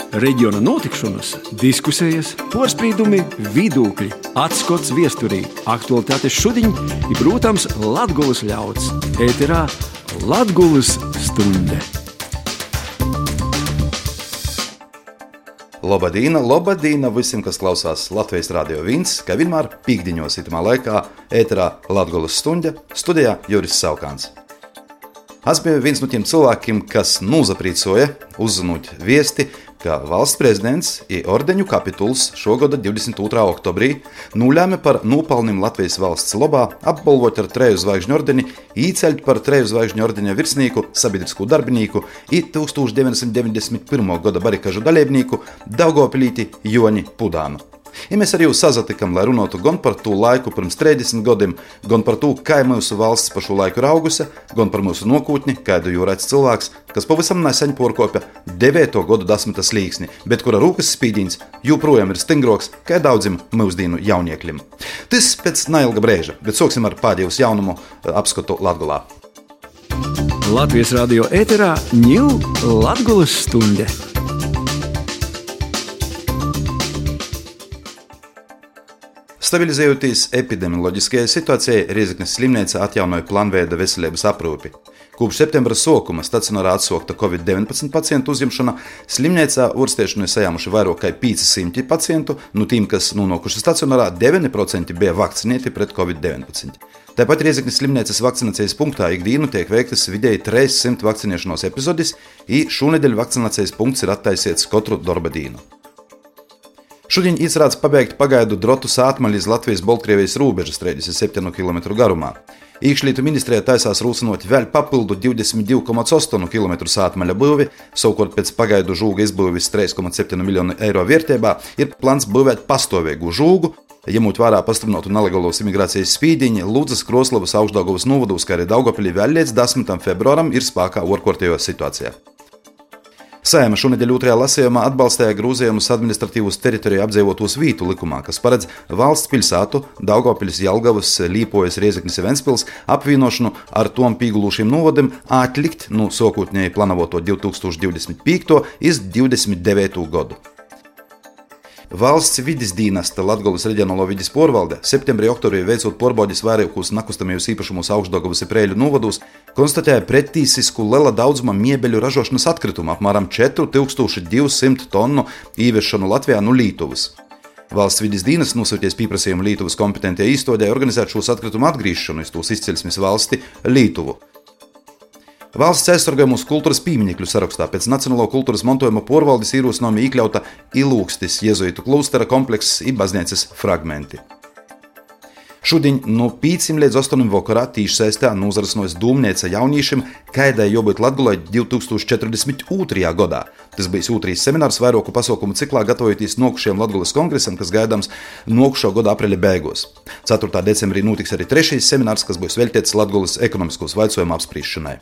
Reģiona notikšanas, diskusijas, porspīdumi, vidūkļi, atskots viesturī, aktualitātes šudiņ i, protams, Latgulas ļauds. Ēterā Latgulas stunde. Lobadīna visiem, kas klausās Latvijas Radio 1, kā vienmēr pīkdiņos itamā laikā ēterā Latgulas stunde, studijā Juris Saukāns. Es biju viens no tiem cilvēkiem, kas nozaprīcoja uzzinot viesti, ka valsts prezidents i ordeņu kapituls šogada 22. oktobrī nulēma par nopelnim Latvijas valsts lobā apbalvot ar 3 zvaigžņu ordeni, īceļt par 3 zvaigžņu ordeņa virsnīku, sabiedrisku darbinīku i 1991. gada barikažu dalībnīku Daugavpilīti Joni Pudānu. I mēs ar jūs sazatikam, lai runātu gan par to laiku pirms 30 gadiem, gan par to, kā mūsu valsts pa šo laiku raugusi, gan par mūsu nokūtni, kādu jau redz cilvēks, kas pavisam nesen porkopja 9. gadu 10. slīksni, bet kura rūkas spīdīns joprojām ir stingroks, kā daudzim mūsdienu jauniekļiem. Tas pēc neilga brēža, bet sāksim ar pēdējos jaunumu apskatu Latgulā. Latvijas radio ēterā ņū Latgulas stunde. Stabilizējoties epidemioloģiskajai situācijai, Rēzeknes slimnīca atjaunoja plānveida veselības aprūpi. Kopš septembra sākuma stacionārā atsākta COVID-19 pacientu uzņemšana, slimnīcā ārstēšanai sajāmuši vairāk kā 500 pacientu, no tiem, kas nonākuši stacionārā, 9% bija vakcinēti pret COVID-19. Tāpat Rēzeknes slimnīcas vakcinācijas punktā ikdienu tiek veiktas vidēji 300 vakcinēšanos epizodis, i šonedēļ vakcinācijas punkts ir attaisīts katru darba dienu. Šodien izrāds pabeigt pagaidu drotu sātmaļu iz Latvijas-Baltkrievijas robežas 37 km garumā. Iekšlietu ministrijā taisās rūsinot vēl papildu 22,8 km sātmaļa būvi, savukārt pēc pagaidu žūga izbūvis 3,7 miljonu eiro vērtībā ir plāns būvēt pastāvīgu žūgu, ņemot vērā pastiprinātu nelegālos imigrācijas spīdiņu, Ludzas, Kroslavas, Augšdaugavas novados, kā arī Daugavpilī vēl līdz 10. februāram ir spēkā ārkārtējā situācijā. Saeima šonedēļ 2. lasījumā atbalstīja grozījumus administratīvos teritoriju apdzīvotos vītu likumā, kas paredz valsts pilsētu Daugavpiļas, Jelgavas, Līpojas, Rēzeknes un Ventspils apvienošanu ar tom pīgulūšiem novadiem atlikt no sākotnēji plānoto 2025. iz 29. gadu. Valsts vides dienesta Latgulas reģionālo vides pārvalde septembrī oktobrī veicot pārbaudes vairākos nekustamajos īpašumos Augšdaugavas un Preiļu novados, konstatēja pretīsisku liela daudzuma miebeļu ražošanas atkritumu, apmēram 4200 tonu īviešanu Latvijā no Lītuvas. Valsts vides dienas nosūties pieprasījumu Lītuvas kompetentajai iestādei organizēt šos atkritumu atgriežšanu iz tos izcelsmes valsti Lītuvu. Valsts aizsargājumus kultūras pieminekļu sarakstā pēc Nacionālo kultūras mantojuma pārvaldes ierosinājuma iekļauta Ilūkstis jezuītu klostera komplekss i baznīcas fragmenti. Šodien no 5 līdz 8 vakarā tīšsaistē nozarasnojas dūmnīca jauniešiem, kādai jābūt Latgulai 2042. gadā. Tas bija 2. seminārs vairāku pasaukumu ciklā gatavojoties nokušajam Latgulas kongresam, kas gaidāms nokušo gada aprīļa beigās. 4. decembrī notiks arī 3. seminārs, kas būs veltīts Latgulas ekonomiskos jautājumu apspriešanai.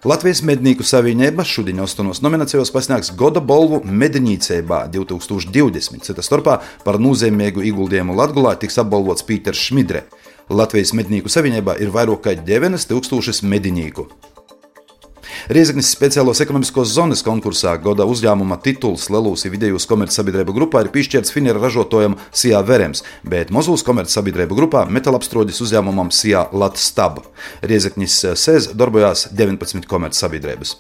Latvijas mednieku savienība šodien 8 nominācijos pasniegs Goda balvu mednīcībā 2020. Cita starpā par nozīmīgu ieguldījumu Latgulā tiks apbalvots Pīters Šmidre. Latvijas mednieku savienībā ir vairāk kā 9000 medinīku. Rēzeknes speciālos ekonomiskos zonas konkursā Goda uzņēmuma tituls lielūs i vidējos komercsabiedrību grupā ir piešķirts finera ražotājam Sijā Verems, bet mazūs komercsabiedrību grupā metālapstrādes uzņēmumam Sijā Latstab. Rēzeknes sēz darbojās 19 komercsabiedrības.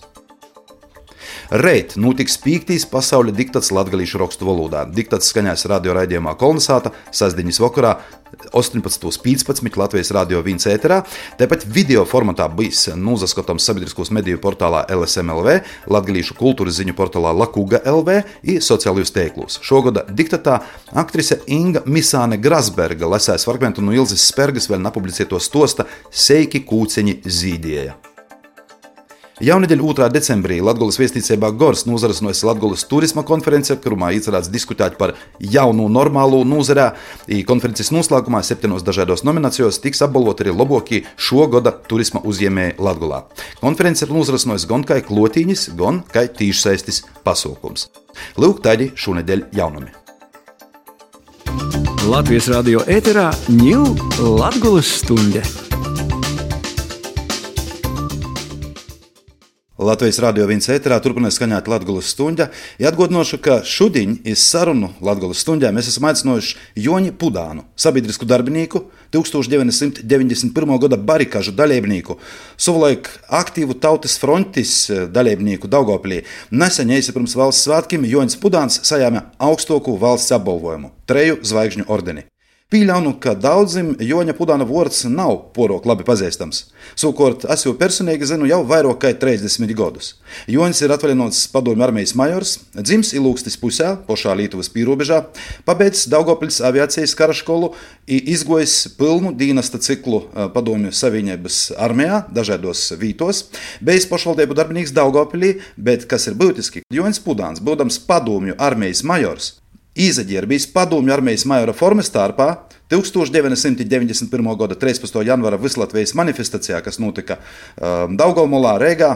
Reit notiks 5. pasaules diktats latgalīšu rakstu valodā. Diktats skaņās radio raidījumā Kolnesāta sestdienas vakarā 18.15 Latvijas radio 1 ēterā. Tāpat video formatā bijis nozaskatams sabiedriskos mediju portālā LSM.LV, latgalīšu kultūras ziņu portālā Lakuga LV i sociālajos tīklos. Šogada diktatā aktrise Inga Misāne Grasberga lasēs fragmentu no Ilzes Spergas vēl nepublicēto stosta Seiki kūceņi zīdieja. Jaunedēļ 2. decembrī Latgulas viesnīcībā Gors nozarasnojas Latgulas turisma konference, kurumā iecerēts diskutēt par jaunu normālu nozarē. Konferences noslēgumā 7 dažādos nominācijos tiks apbalvoti arī labākie šo gada turisma uzņēmēji Latgulā. Konference ir nozarasnojas gan kā klotīņas, gan kā tīšsaistes pasākums. Lūk, tādi šonedēļ jaunumi. Latvijas radio ēterā ņū Latgulas stunde. Latvijas radio viens ēterā turpinās skaņot Latgulas stuņģa. Atgādināšu, ka šodien iz sarunu Latgulas stuņģā mēs esam aicinājuši Joni Pudānu, sabiedrisku darbinieku, 1991. gada barikāžu dalībnieku, savulaik aktīvu Tautas frontes dalībnieku Daugavpilī. Nesen pirms valsts svētkiem Jonis Pudāns saņēma augstāko valsts apbalvojumu – 3 zvaigžņu ordeni. Pieļauju, ka daudziem Joņa Pudāna vārds nav porok labi pazīstams. Savukārt, es jau personīgi zinu jau vairāk kā 30 gadus. Joņs ir atvaļināts padomju armijas majors, dzimis Ilūgstis pusē, pašā Lietuvas pierobežā, pabeidzis Daugavpils aviācijas kara skolu un izgojis pilnu dienesta ciklu padomju savienības armijā, dažādos vītos, bijis pašvaldību darbinieks Daugavpilī, bet, kas ir būtiski, Joņs Pudāns, būdams padomju armijas majors, izģērbis padomju armijas majora formas starpā 1991. gada 13. janvāra Vislatvijas manifestācijā, kas notika Daugavmolā, Rīgā,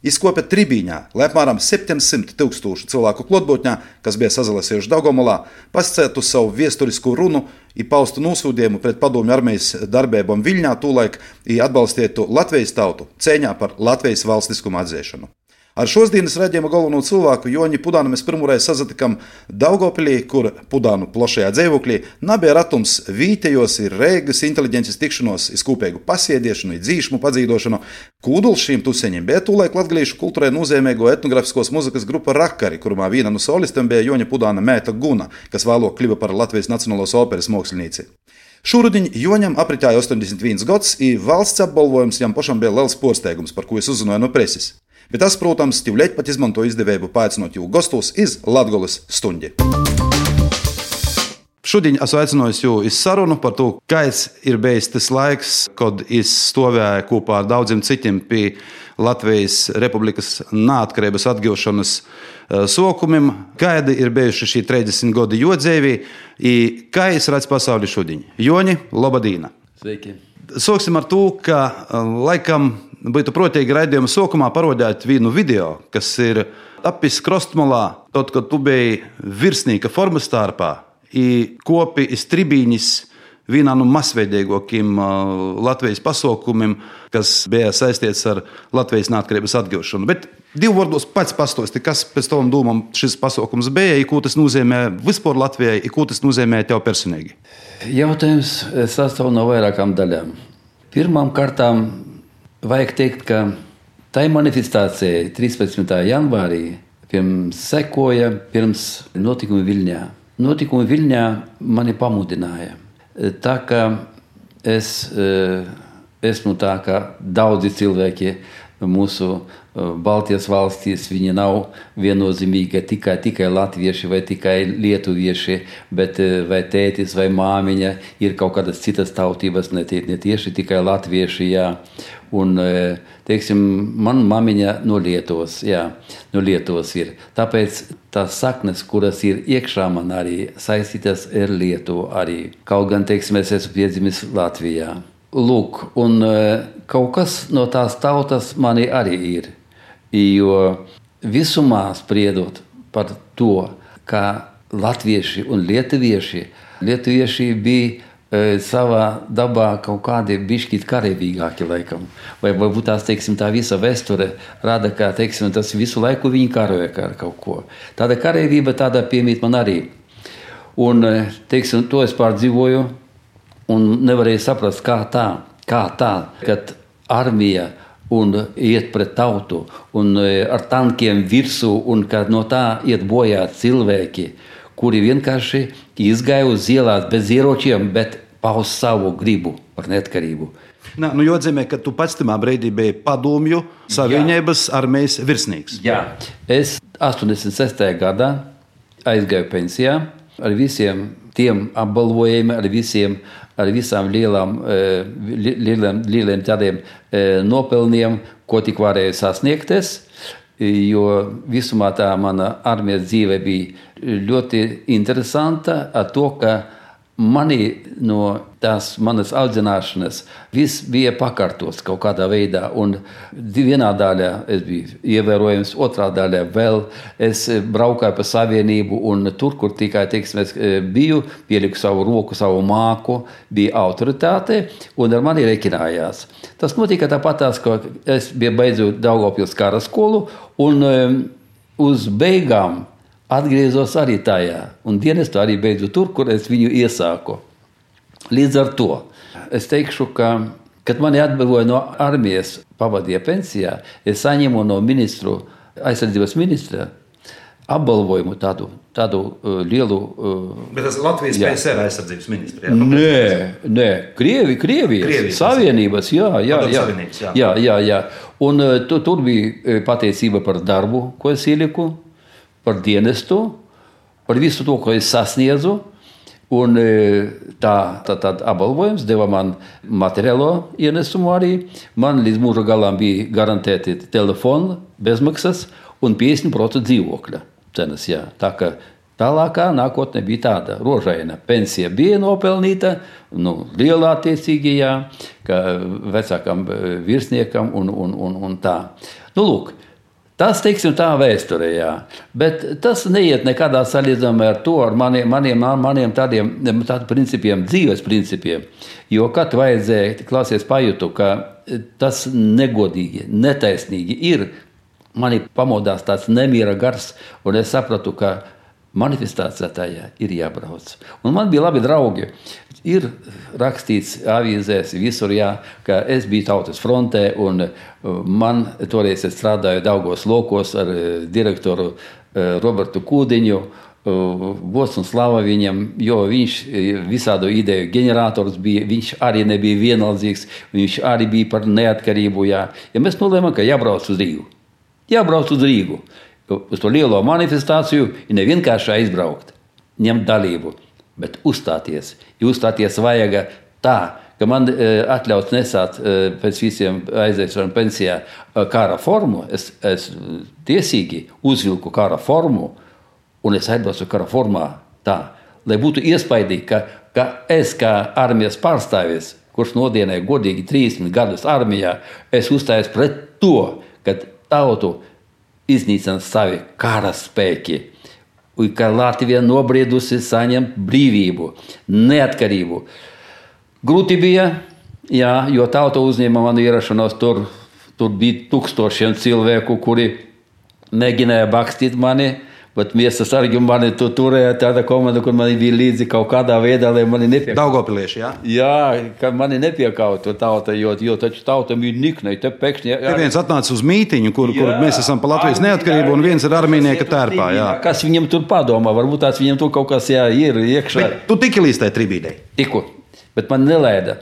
izkopa tribīņā, lai apmēram 700 000 cilvēku klātbūtnē, kas bija sazalasījuši Daugavmolā, pascētu savu viesturisku runu un paustu nosūdījumu pret padomju armijas darbībām Viļņā tūlaik un atbalstītu Latvijas tautu cīņā par Latvijas valstiskumu atzīšanu. Ar šodienas raidījuma galveno cilvēku Joni Pudānu mēs pirmoreiz sazatikam Daugavpilī, kur Pudānu plašajā dzīvoklī nebija ratums vītējos ir Reigas inteliģences tikšanos, izkūpēgu pasiediešanu, dzīšmu padzīdošanu. Kūduls šīm tuseņiem bija tūlaik latgalīšu kultūrai nozīmīgo etnografiskos muzikas grupa Rakari, kurumā viena no solistiem bija Joņa Pudāna meita Guna, kas vēlāk kļuva par Latvijas Nacionālās operas mākslinieci. Šūrudiņ Joņam apritēja 81 gads, un valsts apbalvojums jam pašam bija liels pārsteigums, par ko es uzzināju no preses. Bet tas, protams, tīvļaļ pat izmanto izdevību paaicinot jū gostos iz Latgulas stuņģi. Šodien esmu aicinājis jū iz sarunu par to, kāds ir bijis tas laiks, kad es stāvēju kopā ar daudziem citiem pie Latvijas Republikas neatkarības atgūšanas sokumiem, kādi ir bijuši šī 30 gadi jo dzīvī, un kā es redzu pasauli šodien. Joni, labadīna! Sveiki! Sāksim ar to, ka laikam būtu protīgi raidījuma sākumā parādīt vienu video, kas ir tapis Krostmalā, tad, kad tu biji virsnieka formas starpā un kopi iz tribīnis vienā no masveidīgākajiem Latvijas pasākumiem, kas bija saistīts ar Latvijas neatkarības atgūšanu. Bet divu vārdos pats pastāsti, kas pēc tavam domām šis pasākums bija, ko tas nozīmē vispār Latvijai, ko tas nozīmē tev personīgi? Jautājums sastāv no vairākām daļām. Pirmām kārtām vajag teikt, ka tai manifestācijai 13. janvārī sekoja pirms notikumi Viļņā. Notikumi Viļņā mani pamudināja. Tā kā es esmu tā, ka daudzi cilvēki mūsu Baltijas valstīs, viņi nav viennozīmīgi tikai latvieši vai tikai lietuvieši, bet vai tētis vai māmiņa ir kaut kādas citas tautības, ne tieši tikai latvieši, jā. Un, teiksim, man māmiņa no Lietuvas, jā, no Lietuvas ir. Tāpēc tās saknes, kuras ir iekšā man arī, saistītas ar Lietuvu arī. Kaut gan, teiksim, es esmu piedzimis Latvijā. Lūk, un kaut kas no tās tautas mani arī ir. Jo visumā spriedot par to, ka latvieši un lietuvieši bija savā dabā kaut kādi bišķīt kareivīgāki laikam. Vai varbūt tās, teiksim, tā visa vēsture rada, ka, teiksim, tas visu laiku viņi karoja ar kaut ko. Tāda kareivība tāda piemīt man arī. Un, teiksim, to es pārdzīvoju un nevarēju saprast, kā tā, kad armija un iet pret tautu un ar tankiem virsū un kad no tā iet bojā cilvēki, kuri vienkārši izgāja uz ielās bez ieročiem, bet paust savu gribu par neatkarību. Nu, jāatzīmē, ka tu pats tajā brīdī biji padomju savienības armijas virsnieks. Jā, es 86. gadā aizgāju pensijā ar visiem tiem apbalvojumiem, ar visām lieliem tādiem nopelniem, ko tik varēju sasniegties, jo visumā tā mana armijas dzīve bija ļoti interesanta ar to, ka manī no tās manas audzināšanas viss bija pakārtots kaut kādā veidā. Un vienā daļā es biju ievērojams, otrā daļā vēl es braukāju pa savienību, un tur, kur tikai, teiksim, es biju, pieliku savu roku, savu māku, bija autoritāte, un ar mani rekinājās. Tas notika tāpatās, ka es biju beidzu Daugavpils kara skolu, un uz beigām atgriezos arī tajā, un dienestu arī beidzu tur, kur es viņu iesāku. Līdz ar to es teikšu, ka, kad mani atbrīvoja no armijas, pavadīja pensijā, es saņemu no aizsardzības ministra apbalvojumu tādu lielu... Bet tas Latvijas PSR aizsardzības ministra, jā? Nē, Krievijas Savienības, jā. Un tur bija pateicība par darbu, ko es ieliku, par dienestu, par visu to, ko es sasniedzu, un tā apbalvojums deva man materiālo ienesumu arī. Man līdz mūža galam bija garantēti telefona bezmaksas un 50% dzīvokļa cenas, jā. Tā ka tālākā nākotne bija tāda rožaina. Pensija bija nopelnīta, lielā attiecīgi, jā, ka vecākam virsniekam un tā. Lūk, tas, teiksim, tā vēsturē, jā. Bet tas neiet nekādā salīdzinājumā ar to, ar maniem tādiem principiem, dzīves principiem. Jo kad vajadzēja, klāsies pajūtu, ka tas negodīgi, netaisnīgi ir, mani pamodās tāds nemiera gars, un es sapratu, ka manifestācijā tajā ir jābrauc. Un man bija labi draugi. Ir rakstīts avīzēs visur, jā, ka es biju Tautas frontē, un man toreiz es strādāju Daugavas lokos ar direktoru Robertu Kūdiņu, gods un slava viņam, jo viņš visādu ideju ģenerators bija, viņš arī nebija vienaldzīgs, viņš arī bija par neatkarību, jā. Ja mēs nolēmām, ka jābrauc uz Rīgu. Uz to lielo manifestāciju ir nevienkārši aizbraukt, ņemt dalību, bet uzstāties. Ja uzstāties vajaga tā, ka man atļauts nesāt pēc visiem aiziešanu pensijā kara formu, es tiesīgi uzvilku kara formu, un es aizbraucu kara formā tā, lai būtu iespaidīgi, ka es kā armijas pārstāvis, kurš nodienēja godīgi 30 gadus armijā, es uzstājos pret to, ka tautu iznīcina savi kara spēki, un ka Latvija nobriedusi saņemt brīvību, neatkarību. Grūti bija, jā, jo tauta uzņēma manu ierašanos, tur bija 1000 cilvēku, kuri mēģināja bakstīt mani, bet miesas argi mani turēja tāda komanda, kur mani bija līdzi kaut kādā veidā, lai mani nepiekautu. Daugavpilieši, jā? Jā, ka mani nepiekautu tauta, jo taču tauta bija niknai, te pēkšņi... Ja viens atnāca uz mītiņu, kur mēs esam pa Latvijas neatkarību, un viens ir armijnieka tērpā, jā. Kas viņam tur padomā, varbūt tās viņam tur kaut kas ir iekšā. Bet tu tiki līdz tai tribīdei? Tiku, bet man nelaida.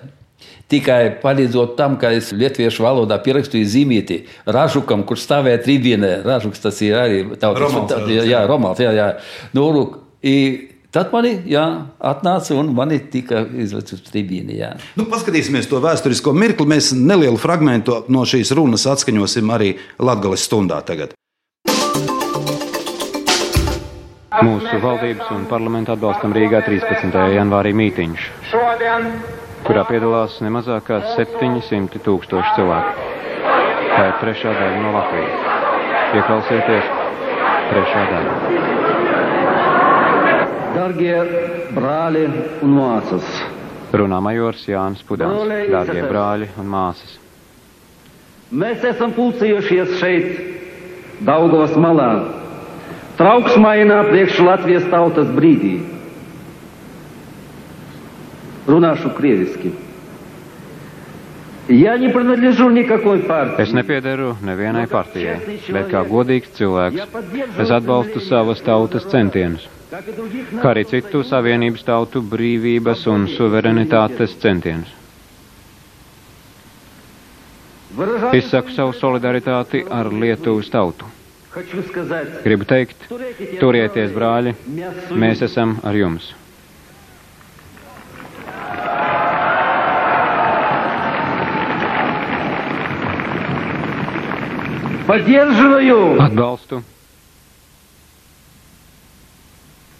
Tikai palīdzot tam, ka es lietuviešu valodā pierakstīju zīmīti Ražukam, kurš stāvēja tribīnē. Ražuks tas ir arī Romualds, jā. Tad mani, jā, atnāca un mani tika izvec uz tribīni, jā. Paskatīsimies to vēsturisko mirkli. Mēs nelielu fragmentu no šīs runas atskaņosim arī Latgales stundā tagad. Mūsu valdības un parlamenta atbalstam Rīgā 13. janvārī mītiņš, kurā piedalās nemazāk kā 700 000 cilvēku. Tā ir trešā daļa no Latvijas. Ieklausieties, trešā daļa. Dargie brāļi un māsas. Runā majors Jānis Pudens. Dargie brāļi un māsas. Mēs esam pulcējušies šeit, Daugavas malā, trauksmainā priekš Latvijas tautas brīdī. Runāšu krieviski. Es nepiederu nevienai partijai, bet kā godīgs cilvēks es atbalstu savas tautas centienus, kā arī citu savienības tautu brīvības un suverenitātes centienus. Izsaku savu solidaritāti ar Lietuvas tautu. Gribu teikt, turieties, brāļi, mēs esam ar jums. Поддерживаю. Atbalstu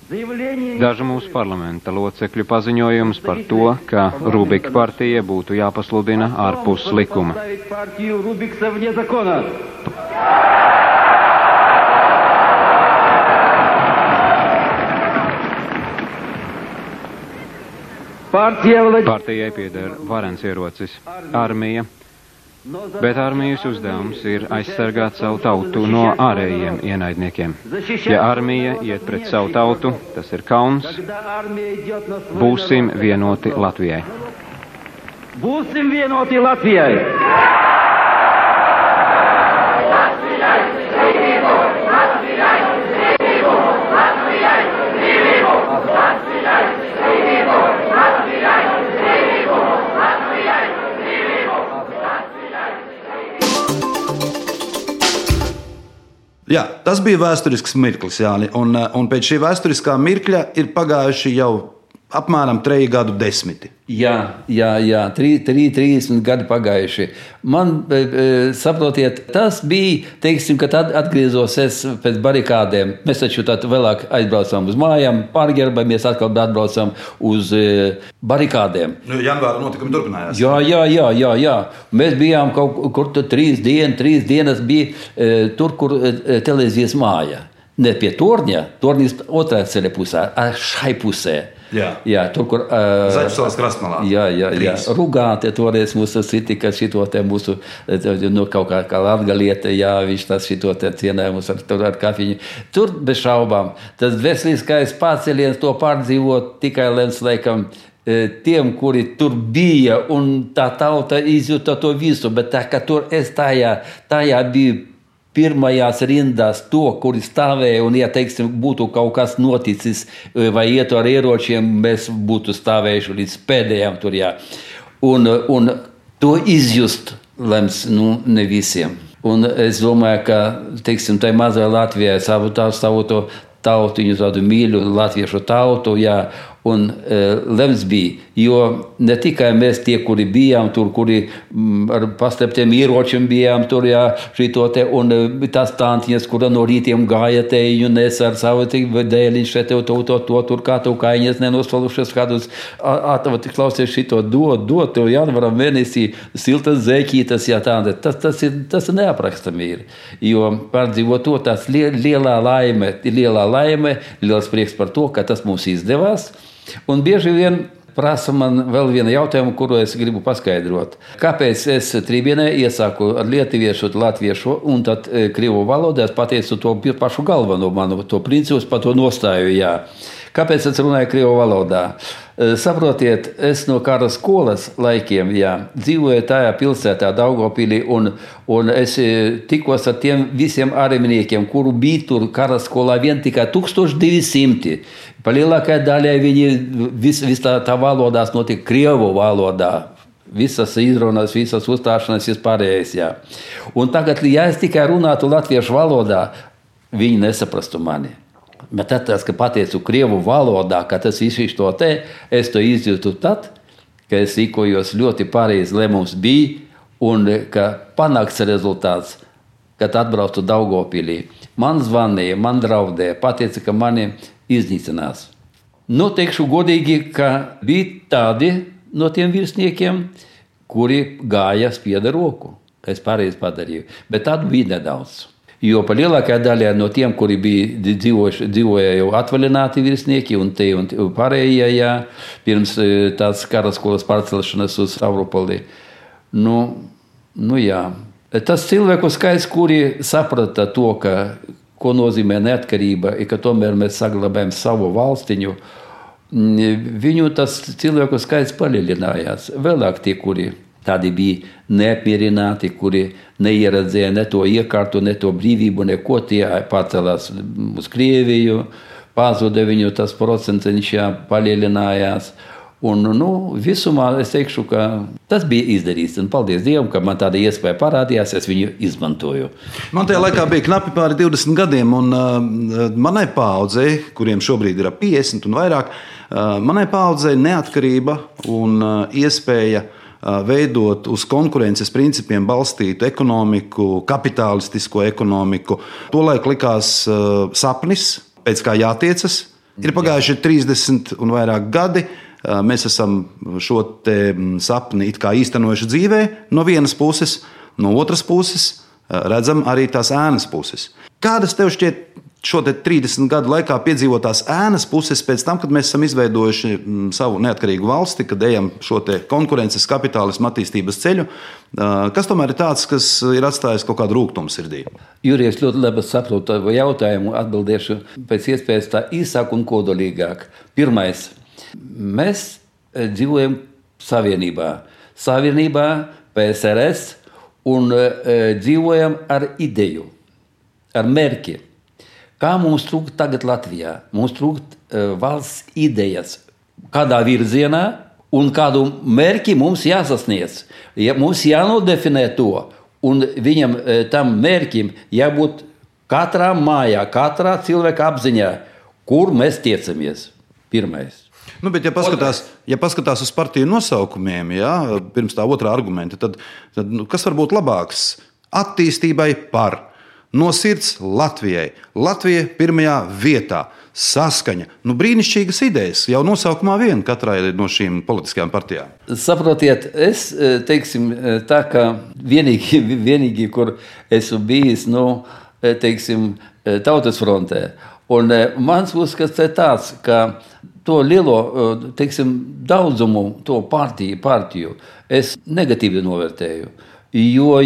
Dažu mūsu parlamenta locekļu paziņojums par to, ka Rubika partija būtu jāpasludina ārpus likuma. Partijai pieder varens ierocis - armija, bet armijas uzdevums ir aizsargāt savu tautu no ārējiem ienaidniekiem. Ja armija iet pret savu tautu, tas ir kauns. Būsim vienoti Latvijai. Būsim vienoti Latvijai! Jā, tas bija vēsturisks mirklis, Jāni, un pēc šī vēsturiskā mirkļa ir pagājuši jau apmēram 3 gadu desmiti. Jā, 30 gadi pagājuši. Man, saprotiet, tas bija, teiksim, kad atgriezos es pēc barikādēm. Mēs taču tad vēlāk aizbraucam uz mājām, pārģērbamies, atkal atbraucam uz barikādēm. Janvāra notikumi turpinājās. Jā. Mēs bijām kaut kur 3 dienas bija tur, kur televīzijas māja. Ne pie torņa, torņas otrā ceļa pusē, šai pusē. Jā, tur, kur Zaļsalas krastmalā. Jā. Rugāte toreiz mūsu citika šito te mūsu, kaut kā latgaliete, jā, viņš tas šito te cienēja mūs ar kafiņu. Tur bez šaubām. Tas veseliskais pārceliens to pārdzīvot tikai lēns laikam tiem, kuri tur bija, un tā tauta izjuta to visu, bet tā, ka tur es tajā biju pirmajās rindās to, kuri stāvēja, un, ja teiksim, būtu kaut kas noticis, vai ietu ar ieročiem, mēs būtu stāvējuši līdz pēdējām tur, jā. Un to izjust lems, ne visiem. Un es domāju, ka, teiksim, tai mazai Latvijai savu to tautiņu, tādu mīļu latviešu tautu, jā, un lems bija, jo ne tikai mēs tie, kuri bijām tur, kuri ar paslēptiem ieročiem bijām tur, jā, šito te, un tās tantiņas, kura no rītiem gāja teju, nes ar savu dēliņu šeit to, tur kā tu kaiņas nenosvalušies kādus, klausies šito, dod, tev janvaram mēnesī siltas zēķītas, jā, tāda, tas ir neaprakstami ir, jo pārdzīvot to, tas lielā laime, liels prieks par to, ka tas mums izdevās. Un bieži vien prasa man vēl vienu jautājumu, kuru es gribu paskaidrot. Kāpēc es trībienē iesāku ar lietuviešu, latviešu un tad krievu valodā es pateicu to pašu galveno manu, to principus par to nostāju, jā. Kāpēc es runāju krievu valodā? Saprotiet, es no kara skolas laikiem, jā, dzīvoju tajā pilsētā Daugavpilī, un es tikos ar tiem visiem āremniekiem, kuru bija tur kara skolā vien tikai 1200. Palielākajā daļā viņi tā valodās notika krievu valodā. Visas izrunas, visas uzstāšanas vispārējais, jā. Un tagad, ja es tikai runātu latviešu valodā, viņi nesaprastu mani. Bet tad, ka pateicu krievu valodā, ka tas viss to te, es to izjūtu tad, ka es rīkojos ļoti pareizi lēmums bija, un ka panākts rezultāts, kad atbraucu Daugavpilī. Man zvanīja, man draudēja, pateica, ka mani iznīcinās. Teikšu godīgi, ka bija tādi no tiem virsniekiem, kuri gāja spieda roku. Es pareizi padarīju, bet tādu bija nedaudz. Jo pa lielākajā daļā no tiem, kuri bija dzīvoja jau atvaļināti virsnieki un pārējie, jā, pirms tās karaskolas pārcelšanas uz Stavropoli. Jā. Tas cilvēku skaits, kuri saprata to, ko nozīmē neatkarība, ka tomēr mēs saglabājam savu valstiņu, viņu tas cilvēku skaits palielinājās. Vēlāk tie, kuri tādi bija neapmierināti, kuri neieredzēja ne to iekārtu, ne to brīvību, neko, tie pārcelās uz Krieviju, pazuda viņu tas procentiņš, palielinājās. Un, visumā es teikšu, ka tas bija izdarīts. Un paldies Dievam, ka man tāda iespēja parādījās, es viņu izmantoju. Man tajā laikā bija knapi pāri 20 gadiem, un manai paaudzei, kuriem šobrīd ir 50 un vairāk, manai paaudzei neatkarība un iespēja veidot uz konkurences principiem balstītu ekonomiku, kapitālistisko ekonomiku. Tolaik likās sapnis, pēc kā jātiecas, Ir pagājuši 30 un vairāk gadi. Mēs esam šo sapni it kā īstenojuši dzīvē no vienas puses, no otras puses redzam arī tās ēnas puses. Kādas tev šķiet šo 30 gadu laikā piedzīvotās ēnas puses pēc tam, kad mēs esam izveidojuši savu neatkarīgu valsti, kad ejam šo konkurences kapitālismu attīstības ceļu, kas tomēr ir tāds, kas ir atstājis kaut kādu rūgtumu sirdī? Jurij, es ļoti labi saprotu tavu jautājumu, atbildēšu pēc iespējas tā īsāk un kodolīgāk. Pirmais. Mēs dzīvojam savienībā, PSRS, un dzīvojam ar ideju, ar mērķi. Kā mums trūkt tagad Latvijā? Mums trūkt valsts idejas, kādā virzienā un kādu mērķi mums jāsasniedz. Mums jānodefinē to, un viņam tam mērķim jābūt katrā mājā, katrā cilvēka apziņā, kur mēs tiecamies. Pirmais. Bet, ja paskatās uz partiju nosaukumiem, pirms tā otrā argumenta, tad kas var būt labāks? Attīstībai par, no sirds Latvijai. Latvija pirmajā vietā, saskaņa. Brīnišķīgas idejas, jau nosaukumā vien katrai no šīm politiskajām partijām. Saprotiet, es teiksim tā, ka vienīgi, kur esmu bijis, Tautas frontē. Un mans uzskats ir tāds, ka to lielo, daudzumu, to partiju es negatīvi novērtēju, jo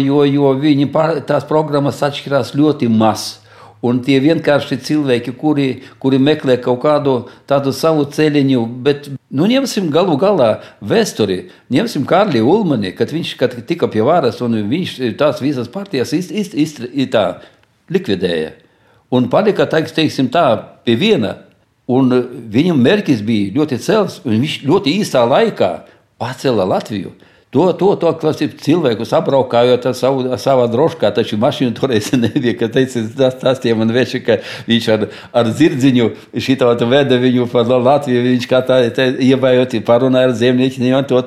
viņi tās programmas atšķirās ļoti maz. Un tie vienkārši cilvēki, kuri meklē kaut kādu tādu savu ceļiņu, bet ņemsim galu galā vēsturi, ņemsim Kārli Ulmani, kad tika pie varas un viņš tās visas partijas likvidēja. Un palika, pie viena. Un viņam mērķis bija ļoti cels, un viņš ļoti īstā laikā pacēla Latviju. To cilvēkus apbraukājot ar savā droškā, taču mašīnu toreiz nebija, ka tas tie man veči, ka viņš ar zirdziņu šitā veda viņu par Latviju, viņš kā tā ievājot, parunāja ar zemniekiem, to,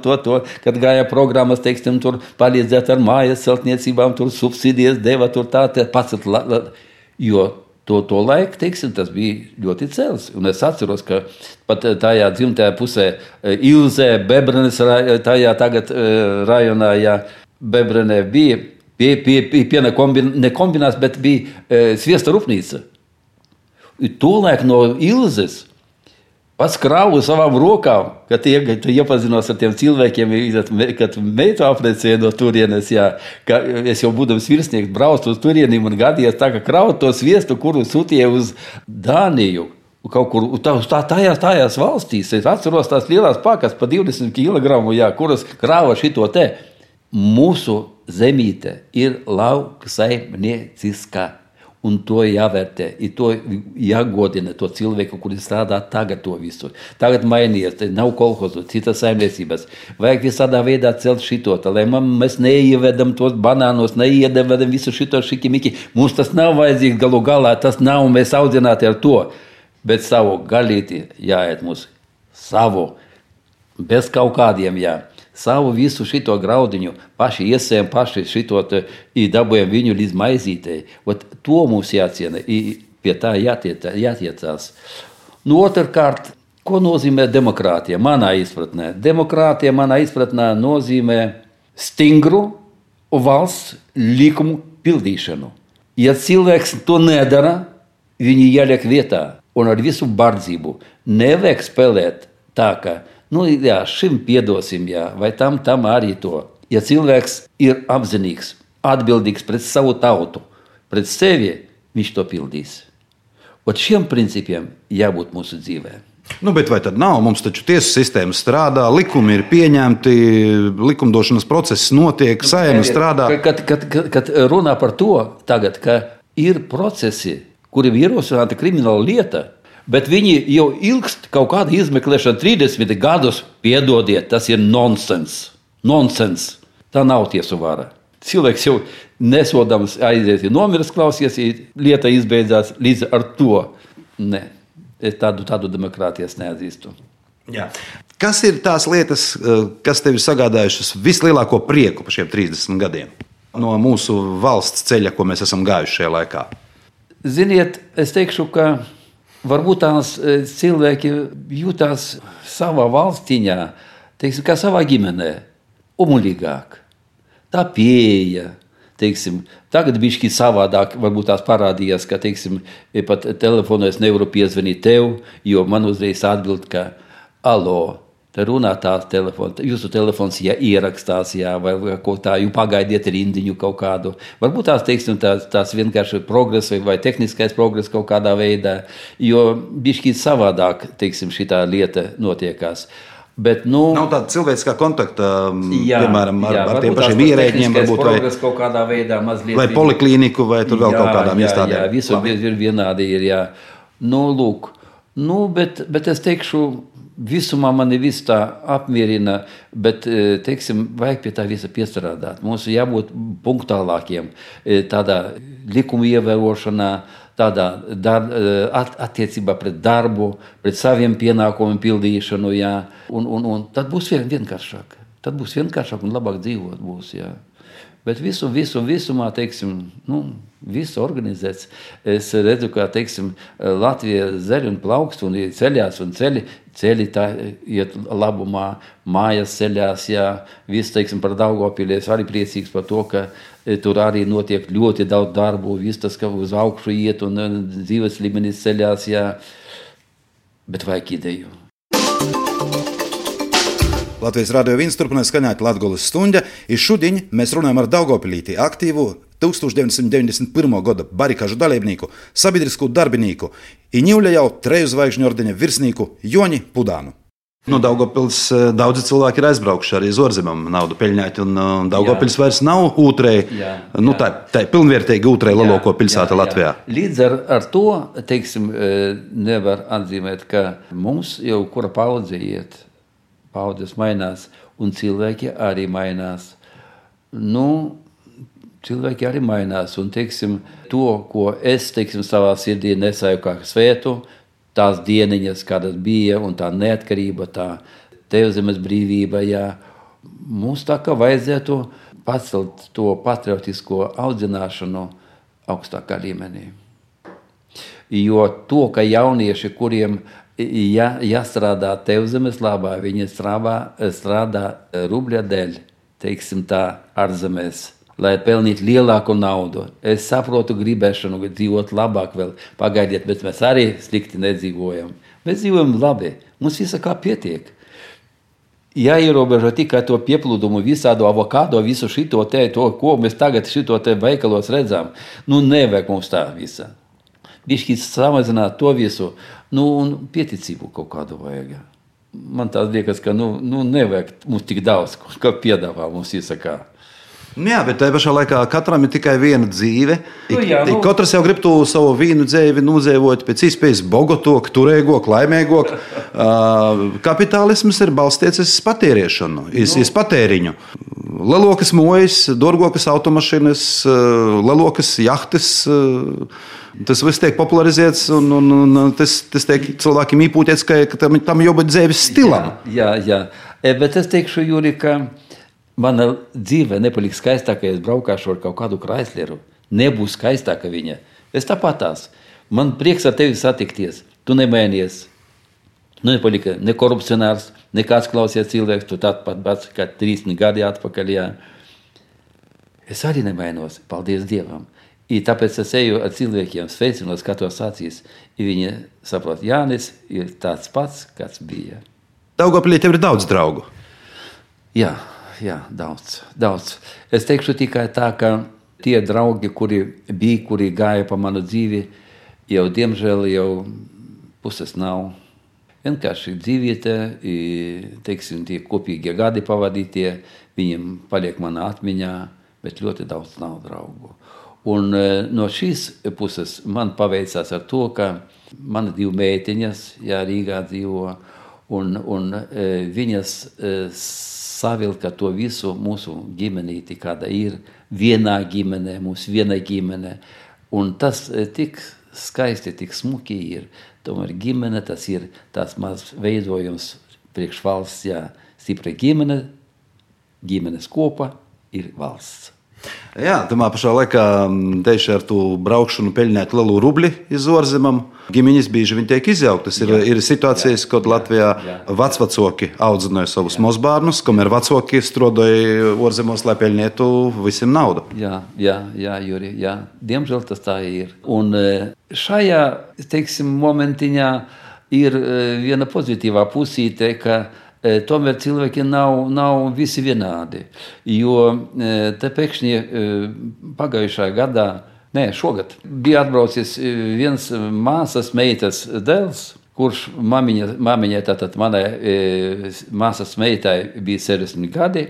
kad gāja programmas, tur palīdzēt ar mājas celtniecībām, tur subsīdijas deva, tur tā pacelt, jo to laiku, tas bija ļoti cels. Un es atceros, ka pat tajā dzimtajā pusē Ilzē, Bebrenes, tajā tagad rajonā, Bebrenē bija piena nekombinās, bet bija sviesta rūpnīca. Tolaik no Ilzes pats krāvu savām rokām, kad iepazinos ar tiem cilvēkiem, kad meitu aprecēja no turienes, ka es jau būdams virsnieks braucu uz turienim un gadījos tā, ka krāvu to sviestu, kuru sūtīja uz Dāniju, kaut kur tajās valstīs. Es atceros tās lielās pakas pa 20 kilogramu, kuras krāva šito te. Mūsu zemīte ir lauksaimnieciskā. Un to jāvērtē, to jāgodina to cilvēku, kuri strādā tagad to visu. Tagad mainījies, nav kolhozu, citas saimniecības. Vajag visādā veidā celt šito, lai mēs neievedam tos banānos, neievedam visu šito šikimiki. Mums tas nav vajadzīgs galu galā, tas nav mēs audzināti ar to. Bet savu galīti jāiet mums, savu, bez kaut kādiem savu visu šito graudiņu, paši iesējam, paši šito dabujam viņu līdz maizītei. To mums jāciena, pie tā jātiecās. Otrkārt, ko nozīmē demokrātija manā izpratnē? Demokrātija manā izpratnē nozīmē stingru valsts likumu pildīšanu. Ja cilvēks to nedara, viņi jāliek vietā un ar visu bardzību. Nevajag spēlēt tā, ka šim piedosim, vai tam arī to. Ja cilvēks ir apzinīgs, atbildīgs pret savu tautu, pret sevi, viņš to pildīs. Šiem principiem jābūt mūsu dzīvē. Bet vai tad nav? Mums taču tiesu sistēma strādā, likumi ir pieņemti, likumdošanas process notiek, Saeima strādā. Kad runā par to tagad, ka ir procesi, kuriem ierosināta krimināla lieta, bet viņi jau ilgst kaut kāda izmeklēšana 30 gadus, piedodiet, tas ir nonsens. Nonsens. Tā nav tiesu vara. Cilvēks jau nesodams aizies, nomirs klausies, lieta izbeidzās līdz ar to. Ne, es tādu demokrātijas neatzīstu. Jā. Kas ir tās lietas, kas tev ir sagādājušas vislielāko prieku par šiem 30 gadiem? No mūsu valsts ceļa, ko mēs esam gājuši šajā laikā? Ziniet, es teikšu, ka varbūt tās cilvēki jūtās savā valstiņā, teiksim, kā savā ģimenē, umuļīgāk. Tā pieeja, teiksim, tagad bišķi savādāk varbūt tās parādījās, ka, teiksim, pat telefonā es nevaru piezvanīt tev, jo man uzreiz atbild, ka alo, te runā tās telefons, jūsu telefons ierakstās, vai ko tā, jūs pagaidiet rindiņu kaut kādu. Varbūt tās, teiksim, tās vienkārši progress vai tehniskais progress kaut kādā veidā, jo bišķi savādāk, teiksim, šitā lieta notiekās. Bet, nav tāda cilvēciskā kontakta, piemēram, ar tiem pašiem ierēģiem, varbūt, vai kaut kādā veidā mazliet. Vai poliklīniku, vai tur vēl kaut kādām iestādēm. Jā, visur ir vienādi ir, jā. Lūk, bet es teikšu, visumā mani viss tā apmierina, bet, teiksim, vajag pie tā visa piestrādāt. Mums jābūt punktuālākiem, tādā likuma ievērošanā, tādā attiecībā pret darbu, pret saviem pienākumiem pildīšanu, jā. Un tad būs vienkāršāk. Tad būs vienkāršāk un labāk dzīvot būs, jā. Bet visumā, teiksim, visu organizēts. Es redzu, ka, teiksim, Latvija zeļ un plaukst un ceļās un ceļi tā iet labumā, mājas ceļās, jā. Viss, teiksim, par Daugavpili es arī priecīgs par to, ka tur arī notiek ļoti daudz darbu, viss tas, ka uz augšu iet un dzīves līmenis ceļās, jā. Bet vajag ideju. Latvijas Radio 1 turpinās skaņāt Latgoles stunda, i šodien mēs runājam ar Daugavpilītī aktīvu 1991. gada barikažu dalībnieku, sabiedrisku darbinieku i Ņivļa jau 3 zvaigžņu ordeņa virsnieku Joni Pudānu. No Daugavpils daudzi cilvēki ir aizbraukuši arī uz ārzemēm naudu peļņāt, un Daugavpils vairs nav ūtrei, tā pilnvērtīgi ūtrei lielāko pilsēta Latvijā. Līdz ar to, teiksim, nevar atzīmēt, ka mums jau kura paudze iet. Paudzes mainās, un cilvēki arī mainās. Cilvēki arī mainās, un, teiksim, to, ko es, teiksim, savā sirdī nesāju kā svētu, tās dieniņas, kādas bija, un tā neatkarība, tā Tevzemes brīvība, jā. Mums tā kā vajadzētu pacelt to patriotisko audzināšanu augstākā līmenī. Jo to, ka jaunieši, kuriem jāstrādā Tevzemes labā, viņi strādā rubļa dēļ, teiksim tā, ārzemēs, lai pelnītu lielāku naudu. Es saprotu gribēšanu dzīvot labāk vēl, pagaidiet, bet mēs arī slikti nedzīvojam. Mēs dzīvojam labi, mums visa kā pietiek. Jāierobežo tikai to pieplūdumu, visādu avokado, visu šito te, to, ko mēs tagad šito te veikalos redzam. Nevajag mums tā visa. Bišķi samazināt to visu, un pieticību kaut kādu vajag. Man tās liekas, ka nevajag mums tik daudz, kā piedāvā mums izsakā. Jā, bet tajā pašā laikā katram ir tikai viena dzīve. Katrs jau grib to savu vīnu dzīvi nudzīvot pēc iespējas bogotok, turēgok, laimēgok. Kapitālisms ir balstīts uz patēriešanu, uz patēriņu. Lelokas mojas, dorgokas automašīnas, lelokas jahtas. Tas viss tiek popularizēts, un tas tiek cilvēkiem īpūtēts, ka tam jābūt dzīves stilam. Jā. Bet es teikšu, Jūri, ka mana dzīve nepaliks skaistāka, ja es braukāšu ar kaut kādu Chrysleru. Nebūs skaistāka viņa. Es tāpatās. Man prieks ar tevi satikties. Tu nemainies. Nepalika ne korupcionārs, nekāds klausies cilvēks, tu tāpat kā 30 gadi atpakaļ. Jā. Es arī nemainos, paldies Dievam. Tāpēc es eju ar cilvēkiem, sveicinos, skatos acīs, viņi saprot, Jānis ir tāds pats, kāds bija. Daugavpilī tev ir daudz draugu? Jā, daudz. Es teikšu tikai tā, ka tie draugi, kuri gāja pa manu dzīvi, jau diemžēl jau puses nav. Vienkārši dzīvīte, teiksim, tie kopīgie gadi pavadītie, viņiem paliek manā atmiņā, bet ļoti daudz nav draugu. Un no šīs puses man paveicās ar to, ka man 2 meitiņas, Rīgā dzīvo, un viņas savilka to visu mūsu ģimenīti, kāda ir vienā ģimenē, mūsu viena ģimene. Un tas tik skaisti, tik smuki ir. Tomēr ģimene, tas ir tās maz veidojums priekš valsts, stipra ģimene, ģimenes kopa ir valsts. Jā, tamā pašā laikā tieši ar to braukšanu peļņēt lielu rubli iz ārzemēm. Ģimeņas bieži viņi tiek izjauktas. Ir situācijas, kad Latvijā vecvecāki audzināja savus mazbērnus, kamēr vecāki strādāja ārzemēs, lai peļņētu visiem naudu. Jā, Juri, jā. Diemžēl tas tā ir. Un šajā, teiksim, momentiņā ir viena pozitīvā pusīte, ka tomēr cilvēki nav visi vienādi, jo te pēkšņi pagājušā gadā, šogad, bija atbraucis viens māsas meitas dēls, kurš mamiņai, tātad manai māsas meitai bija 60 gadi,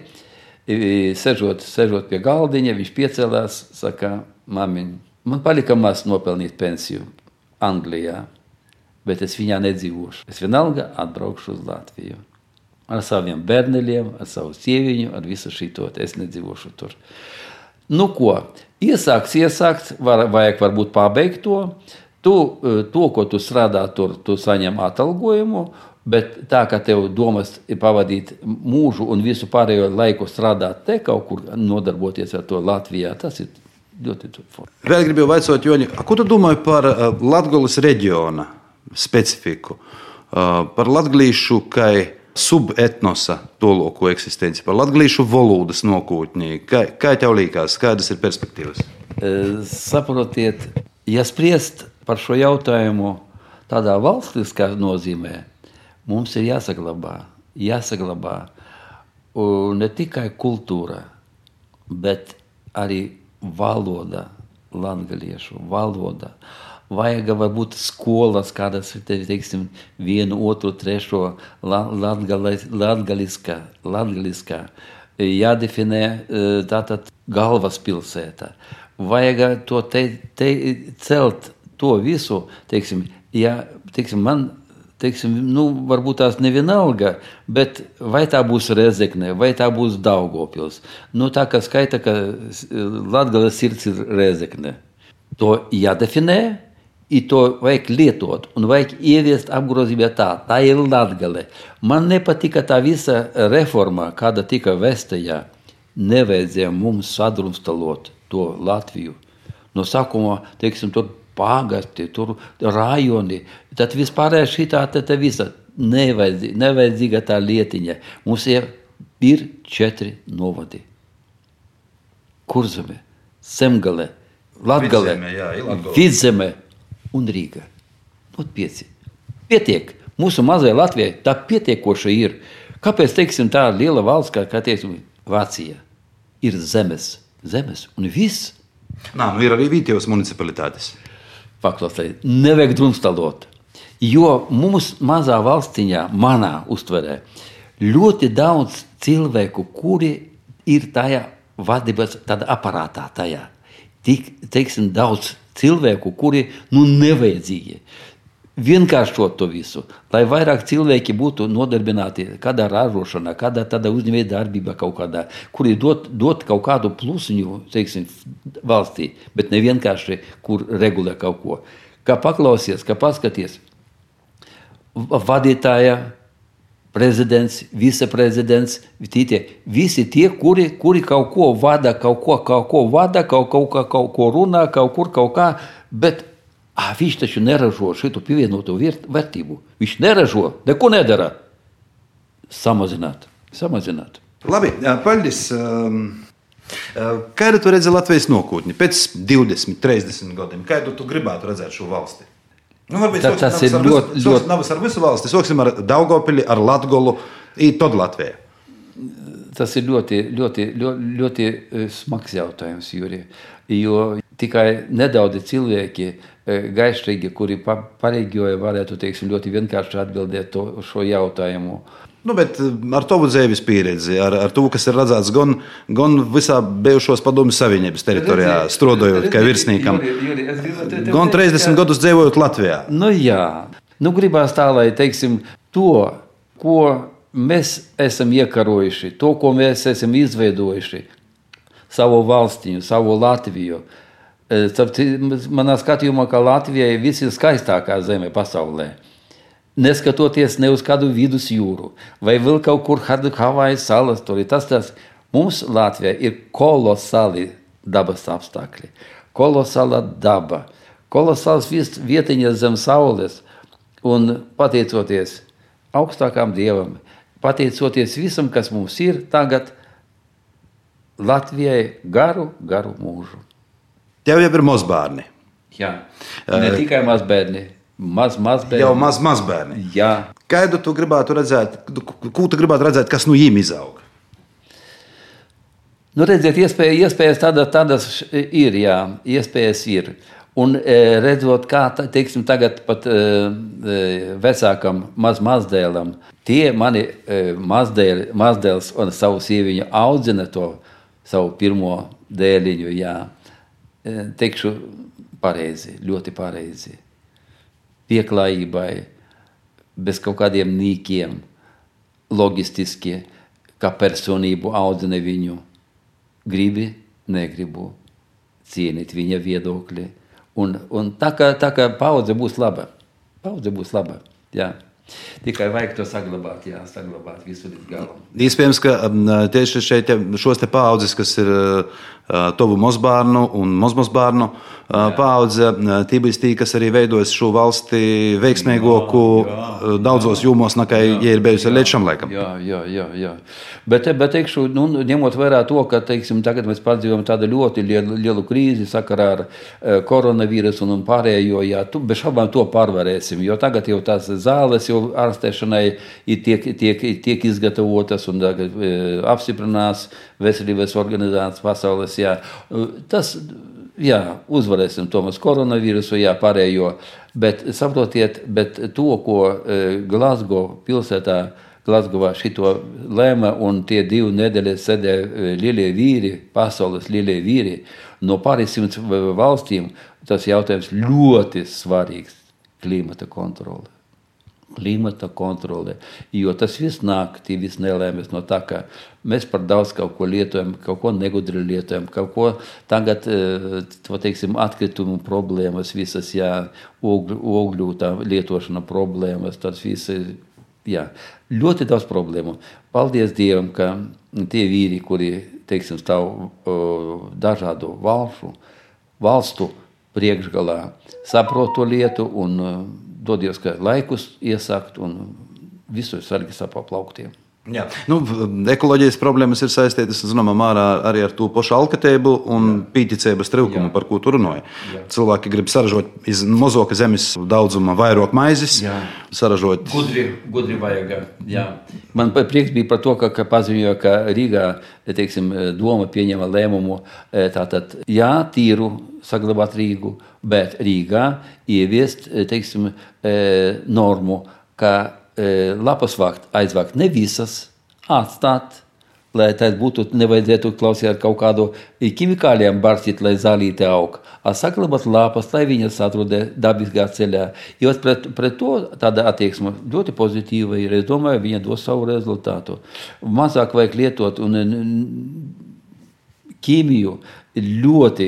sežot pie galdiņa, viņš piecēlās, saka, mamiņ, man palika maz nopelnīt pensiju Anglijā, bet es viņā nedzīvošu. Es vienalga atbraukšu uz Latviju. Ar saviem bērneļiem, ar savu sieviņu, ar visu šito, es nedzīvošu tur. Nu ko, iesākt, vajag varbūt pabeigt to. To, ko tu strādā tur, tu saņem atalgojumu, bet tā, ka tev domas ir pavadīt mūžu un visu pārējo laiku strādāt te kaut kur, nodarboties ar to Latvijā, tas ir ļoti forši. Vēl gribu vaicāt, Joņi, ko tu domāji par Latgoles reģiona specifiku? Par latgalīšu, kai subetnosa toloko eksistenci, par latgalīšu valodas nokūtņī. Kā tev līkās, kādas ir perspektīvas? Saprotiet, ja spriest par šo jautājumu tādā valstiskā nozīmē, mums ir jāsaglabā ne tikai kultūra, bet arī valoda, latgaliešu valoda. Vajag varbūt skolas, kādas, teiksim, 1, 2, 3 latgaliskā, jādefinē tātad galvaspilsēta. Vajag to celt to visu, teiksim, man, varbūt tās nevienalga, bet vai tā būs Rezekne, vai tā būs Daugavpils. Tā kā skaita, ka Latgales sirds ir Rezekne. To jādefinē. I to vajag lietot un vajag ieviest apgrozībā tā ir Latgale. Man nepatika tā visa reforma, kāda tika vestajā. Nevajadzēja mums sadrumstalot to Latviju. No sākuma, teiksim, tur pagasti, tur rajoni, tad vispārēja šitā te visa. Nevajadzīga tā lietiņa. Mums ir 4 novadi. Kurzeme, Semgale, Latgale, Vidzeme un Rīga. 5. Pietiek. Mūsu mazai Latvijai tā pietiekoša ir. Kāpēc, teiksim, tā liela valsts, kā teiksim, Vācija, ir zemes un viss. Ir arī vietējos municipalitātes. Paklausīt, nevajag drumstalot. Jo mums mazā valstiņā, manā uztverē, ļoti daudz cilvēku, kuri ir tajā vadības tādā aparātā tajā. Teiksim, daudz cilvēku, kuri nevajadzīgi. Vienkāršot to visu, lai vairāk cilvēki būtu nodarbināti kādā ražošanā, kādā tādā uzņēmēja darbībā kaut kādā, kuri dot kaut kādu plusiņu, teiksim, valstī, bet ne vienkārši, kur regulē kaut ko. Kā paklausies, kā paskaties, vadītāja, prezidents, viceprezidents, visi tie, kuri kaut ko vada, kaut ko runā, kaut kā, bet viņš taču neražo šitu pievienoto vērtību. Viņš neražo, neko nedara. Samazināt. Labi, paldies. Kādu tu redzi Latvijas nākotni pēc 20, 30 gadiem? Kādu tu gribētu redzēt šo valsti? Varbūt tas ir ļoti... Nav ar visu valsti. Sāksim ar Daugavpili, ar Latgolu, tad Latviju. Tas ir ļoti smags jautājums, Juri. Jo tikai nedaudzi cilvēki gaišīgi, kuri pareģoja, varētu, teiksim, ļoti vienkārši atbildēt šo jautājumu. Bet ar tavu dzīves pieredzi, ar to, kas ir redzēts gan visā bijušos Padomju Savienības teritorijā, strādājot kā virsniekam, gan 30 gadus dzīvojot Latvijā. Jā. Gribās tā, lai, teiksim, to, ko mēs esam iekarojuši, to, ko mēs esam izveidojuši, savu valstiņu, savu Latviju. Manā skatījumā, ka Latvija ir viskaistākā zeme pasaulē. Neskatoties ne uz kādu vidus jūru, vai vēl kaut kur Havaju salas, tas mums Latvijā ir kolosāli dabas apstākļi, kolosāla daba, kolosāls vietiņas zem saules, un pateicoties augstākām dievam, pateicoties visam, kas mums ir tagad, Latvijai garu mūžu. Tev jau ir mazbērni. Jā, ne tikai mazbērni, mazbērni. Jau mazbērni. Jā. Kādu tu gribētu redzēt, ko tu gribētu redzēt, kas no jiem izaug? Nu, redziet, iespējas tādas ir, jā, iespējas ir. Un redzot, kā, teiksim, tagad pat vecākam mazdēlam, tie mani mazdēls un savu sieviņu audzina to savu pirmo dēliņu, jā. Teikšu pareizi, ļoti pareizi. Pieklājībai, bez kaut kādiem nīkiem, logistiski, kā personību audzina viņu. Gribi, negribu cienīt viņa viedokļi. Un tā kā paudze būs laba. Jā. Tikai vajag to saglabāt visu līdz galam. Iespējams, ka tieši šeit šos te paudzes, kas ir tovu mazbārnu un mazbārnu paudze, tī būs tī, kas arī veidojas šo valsti veiksmīgoku daudzos jūmos, nekā ja ir bijusi līdz šam laikam. Jā. Bet teikšu, ņemot vērā to, ka, teiksim, tagad mēs pārdzīvojam tādu ļoti lielu krīzi sakarā ar koronavīrusu un pārējo, jā, bez šaubām to pārvarēsim, jo tagad jau tās zāles jau ārstēšanai tiek izgatavotas un apstiprinās veselības organizācijas pasaules, jā. Tas, jā, uzvarēsim Tomas koronavīrusu, jā, pārējo, bet saprotiet, to, ko Glasgowā šito lēma un tie 2 nedēļas sēdēja lielie vīri, pasaules lielie vīri, no pāris 100 valstīm, tas jautājums ļoti svarīgs - klimata kontrole, jo tas viss nāk, tie viss nelēmas no tā, ka mēs par daudz kaut ko lietojam, kaut ko negudri lietojam, kaut ko tagad, teiksim, atkritumu problēmas visas, jā, ogļu tā lietošana problēmas, tas visi, jā, ļoti daudz problēmu. Paldies Dievam, ka tie vīri, kuri, teiksim, stāv dažādu valstu priekšgalā, saprot to lietu un dodies, ka laikus iesākt un visu sargi sapaplauktiem. Jā. Ekoloģijas problēmas ir saistītas, zināmā mērā, arī ar to pašu alkatību un pīticības trūkumu, par ko tu runāji. Cilvēki grib saražot iz mozoka zemes daudzuma vairāk maizes, saražot... Gudri vajag, jā. Man prieks bija par to, ka paziņoja, ka Rīgā, teiksim, doma pieņema lēmumu, tātad, jā, tīru saglabāt Rīgu, bet Rīgā ieviest, teiksim, normu, ka lapas aizvākt ne visas, atstāt, lai tas būtu, nevajadzētu klausīt kaut kādu ķimikāliem barstīt, lai zālīte aug, saglabāt lapas, lai viņas atrod dabiskā ceļā. Jo pret to tāda attieksme ļoti pozitīva ir, es domāju, viņa dos savu rezultātu. Mazāk vajag lietot un ķīmiju ļoti,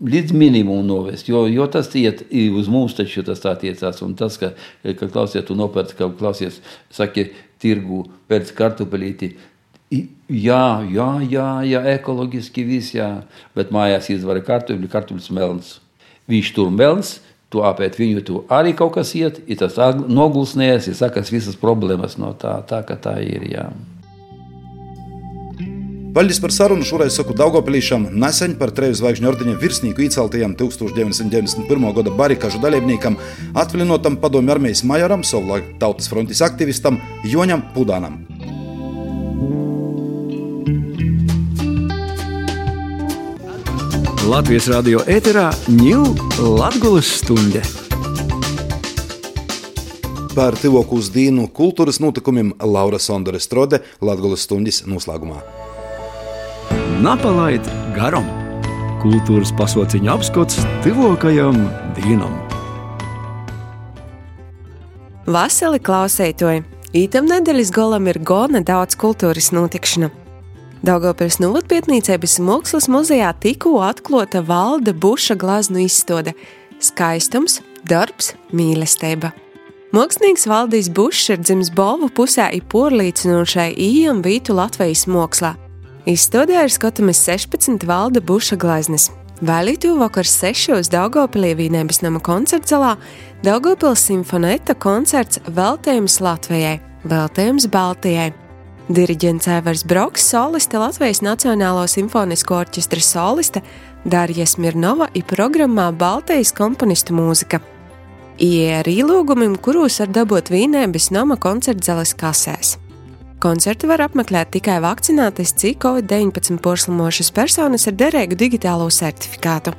līdz minimumu novest, jo tas iet uz mums, taču tas attiecās, un tas, ka klausiet, tu nopērc, ka klausies, saki, tirgu, pēc kartupelīti, jā, ekoloģiski viss, jā, bet mājās izvara kartupļus melns. Viņš tur melns, tu apēt viņu, tu arī kaut kas iet, ir tas nogulsnējas, ir sakas visas problēmas no tā, ka tā ir, jā. Paldies par sarunu. Šoreiz saku Daugavpilīšam nesen par 3 zvaigžņu ordeņa virsnieku ieceltajam 1991. gada barikažu dalībniekam, atvilinotam padomju armijas majoram, savulaik Tautas frontes aktivistam Joņam Pudānam. Latvijas radio ēterā ņū Latgulas stunde. Par tuvāko uz dienu kultūras notikumiem Laura Sondore Strode Latgulas stundas noslēgumā. Napalaid garam. Kultūras pasauciņa apskats tuvākajam dienam. Vasali klausētoji, ītam nedēļas golam ir gona daudz kultūras notikšana. Daugavpils novadpietnīcības mākslas muzejā tikko atklāta Valda Buša glaznu izstāde Skaistums, darbs, mīlestība. Mākslinieks Valdis Bušs ir dzimis Bolvu pusē i porlīcinošai ījam vītu Latvijas mākslā. Izstādē ir skatāmas 16 Valda Buša gleznes. Vēlītu vakar 6 Daugavpilī Vīnēbes nama koncertzalā Daugavpils simfonēta koncerts Veltējums Latvijai, Veltējums Baltijai. Diriģents Aivars Broks, soliste Latvijas Nacionālo simfonisko orķestra soliste Darja Smirnova i programmā Baltijas komponistu mūzika. Ie ar īlūgumim, kurūs var dabūt Vīnēbes nama koncertzalis kasēs. Koncertu var apmeklēt tikai vakcinētas COVID-19 porslimošas personas ar derīgu digitālo certifikātu.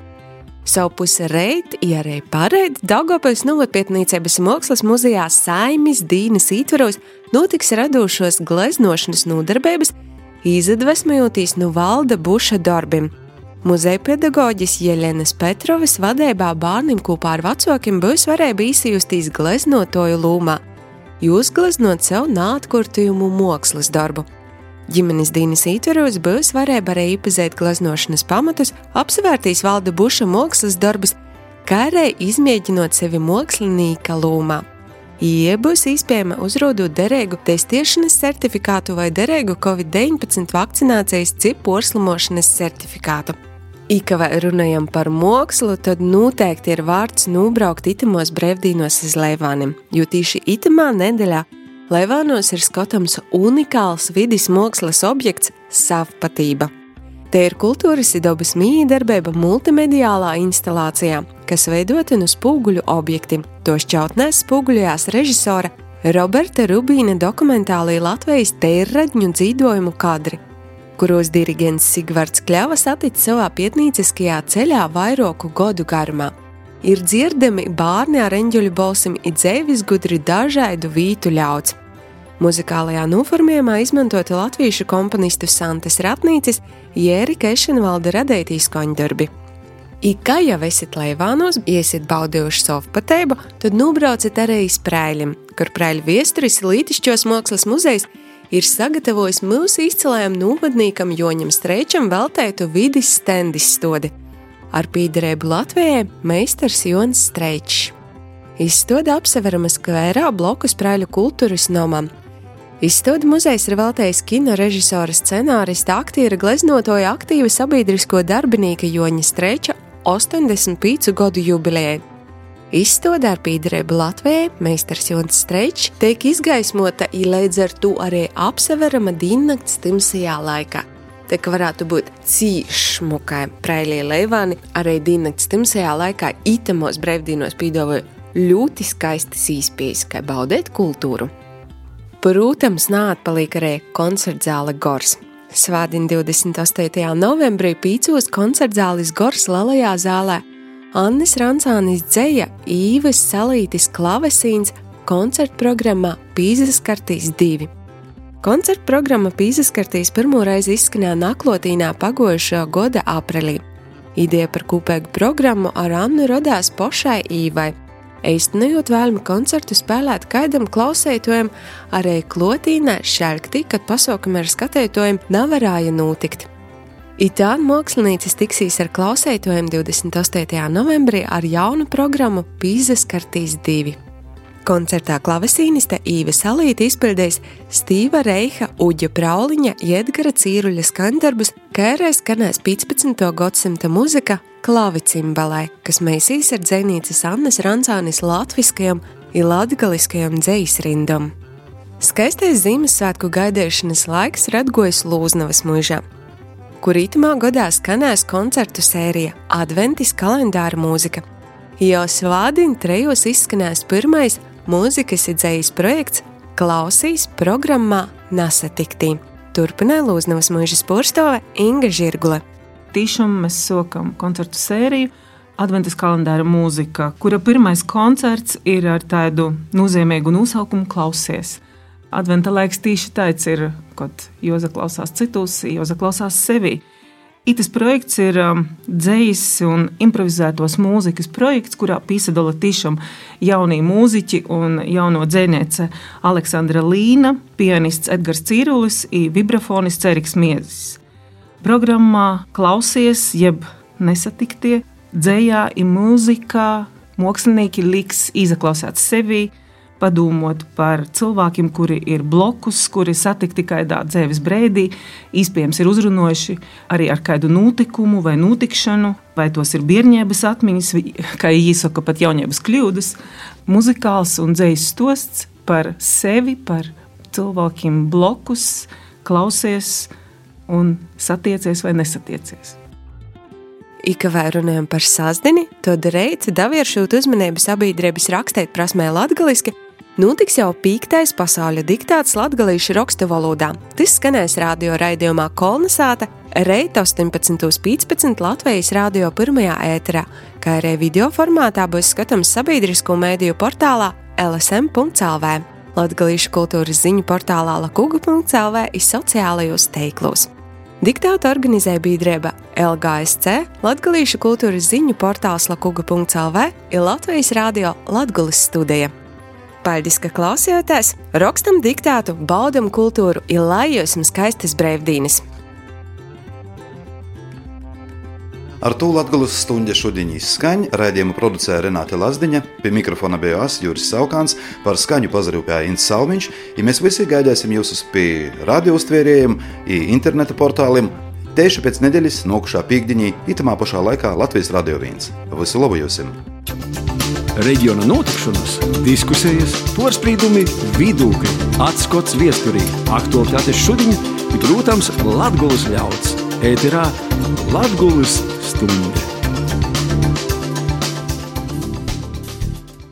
Savu pusi reit, arī pareit, Daugavpils novatpietnīcības mākslas muzejā Saimis dīnas ītvaros notiks radošos gleznošanas nodarbības, izadvesmojotīs no Valda Buša darbim. Muzeja pedagoģis Jeļenas Petrovas vadībā bārnim kopā ar vacokim būs varēja īsajustīs gleznotoju lūmā, jūs gleznot sev nātkurtujumu mākslas darbu. Ģimenes dīnas ītvaros būs varēja arī iepazēt gleznošanas pamatus, apsvērtīs Valda Buša mākslas darbus, kā arī izmēģinot sevi mākslinīka lūmā. Ie būs iespējama uzrodot derīgu testiešanas certifikātu vai derīgu COVID-19 vakcinācijas cip porslimošanas certifikātu. Ka vai runājam par mākslu, tad noteikti ir vārds nūbraukt itamos brevdīnos iz Leivānim, jo tīši itamā nedeļā Leivānos ir skotams unikāls vidis mākslas objekts Savpatība. Te ir kultūras i dabas mījdarbība multimediālā instalācijā, kas veidota no spūguļu objekti. To šķautnēs spūguļojās režisora Roberta Rubīna dokumentālī Latvijas teirradņu dzīdojumu kadri, kuros diriģents Sigvards Kļava satic savā pietnīciskajā ceļā vairoku godu garumā. Ir dzirdami bārni ar eņģeļu balsim i dzeivis gudri dažaidu vītu ļauds. Muzikālajā noformējumā izmantota latviešu komponistu Santes Ratnīcis, Jērika Ešenvalda radētī skaņdarbi. Kā jau esat Leivānos, iesit baudījuši Savpatību, tad nūbraucat arī iz Preiļim, kur Preiļu viesturis Lītišķos mākslas muzejs ir sagatavojis mūsu izcilajam novadnīkam Joņam Streičam veltētu vidis stendis stodi. Ar pīderēbu Latvijai meistars Jons Streičs. Izstoda apseverama skvērā blokus Preiļu kultūras nomam. Izstoda muzejs ir veltējis kino režisora, scenārista, aktiera, gleznotoja, aktīva sabiedrisko darbinīka Joņa Streiča 85 gadu jubilejai. Izstoda ar pīderēbu Latvijai meistars Jons Streičs tiek izgaismota i līdz ar to arī apseverama diennakts timsajā laikā. Te, ka varētu būt cīšmukai Preiļie Leivāni, arī diennakts timsajā laikā itamos brevdīnos pīdavoja ļoti skaistas īspējas, kā baudēt kultūru. Protams, nāatpaliek arī koncertzāle Gors. Svādien 28. novembrī 5 koncertzālis Gors Lielajā zālē Annis Rancānis dzeja Īves Salītis klavesīns koncertprogrammā Pīzaskartīs 2. Koncertprogramma Pīzaskartīs pirmo reizi izskanēja Naklotīnā pagojušā gada aprīlī. Ideja par kopēgu programmu ar Annu rodās pošai Īvai, eistinējot vēlmi koncertu spēlēt kaidam klausētojam arī Klotīnā šelktī, kad pasaukumi ar skatētojiem nevarēja notikt. Itā mākslinieci tiksīs ar klausētojiem 28. novembrī ar jaunu programmu Pīzaskartīs 2. Koncertā klavesīniste Īve Salīte izpildīs Stīva Reiha, Uģa Prauliņa, Edgara Cīruļa skaņdarbus, kā arī skanēs 15. gadsimta muzika klavicimbalai, kas meisīs ar dzejnīces Annas Rancānis latviskajam i latgaliskajam dzejsrindam. Skaistais Ziemassvētku gaidīšanas laiks Radgojas Lūznavas muižā, kur itamā gadā skanēs koncertu sērija Adventis kalendāra mūzika. Jau svādien 3 izskanēs pirmais mūzikas idzejas projekts Klausīs programmā Nasatiktī. Turpināja Lūznavas muižas porstove Inga Žirgule. Tiešām mēs sokam koncertu sēriju Adventis kalendāra mūzika, kura pirmais koncerts ir ar tādu nozīmīgu nosaukumu Klausies. Adventa laiks tīši tāds ir, kad Joza klausās citus, Joza klausās sevi. Itas projekts ir dzejas un improvizētos mūzikas projekts, kurā pīsadala tiešām jaunie mūziķi un jauno dzejniece Aleksandra Līna, pianists Edgars Cīrulis un vibrafonists Eriks Miezis. Programmā Klausies, jeb Nesatiktie, dzejā un mūzikā mākslinieki liks izaklausāt sevi, padomot par cilvēkiem, kuri ir blokus, kuri satikti kādā dzīves brīdī, iespējams ir uzrunojuši arī ar kādu notikumu vai notikšanu, vai tos ir bērnības atmiņas, kā īsaka pat jaunības kļūdas, muzikāls un dzejs stosts par sevi, par cilvēkiem blokus, klausies un satiecies vai nesatiecies. Ikavē runājam par sasdini, to darīt, davieršūt uzmanību sabiedrības rakstēt prasmē latgaliski, notiks jau 5. pasauļa diktāts latgalīšu rakstu valodā. Tas skanēs radio raidījumā Kolnesāta, reit 18.15 Latvijas radio pirmajā ēterā, kā arī video formātā būs skatams sabiedrisko mēdīju portālā lsm.lv, latgalīšu kultūras ziņu portālā lakuga.lv i sociālajos teiklos. Diktātu organizēja biedrība LGSC, Latgalīšu kultūras ziņu portāls lakuga.lv ir Latvijas radio Latgulis studija. Paldies, ka klausījāties, rakstam diktātu, baudam kultūru i lai jums skaistas brīvdīnes. Ar to Latgulis stuņģa šodien izskaņ, raidījumu producēja Renāte Lazdiņa, pie mikrofona bija Juris Saukāns, par skaņu pazarūpēja Ints Salmiņš, i mēs visi gaidāsim jūs pie radioustvērējiem i interneta portāliem tieši pēc nedēļas nokušā pīkdiņī itamā pašā laikā Latvijas Radio 1. Visu labu jūsim! Reģiona notikšanas, diskusijas, porspīdumi, vidūkļi, atskots viesturī, aktualitātes šodien ir, protams, Latgulis ļauds. Ēterā Latgulis stuņģa.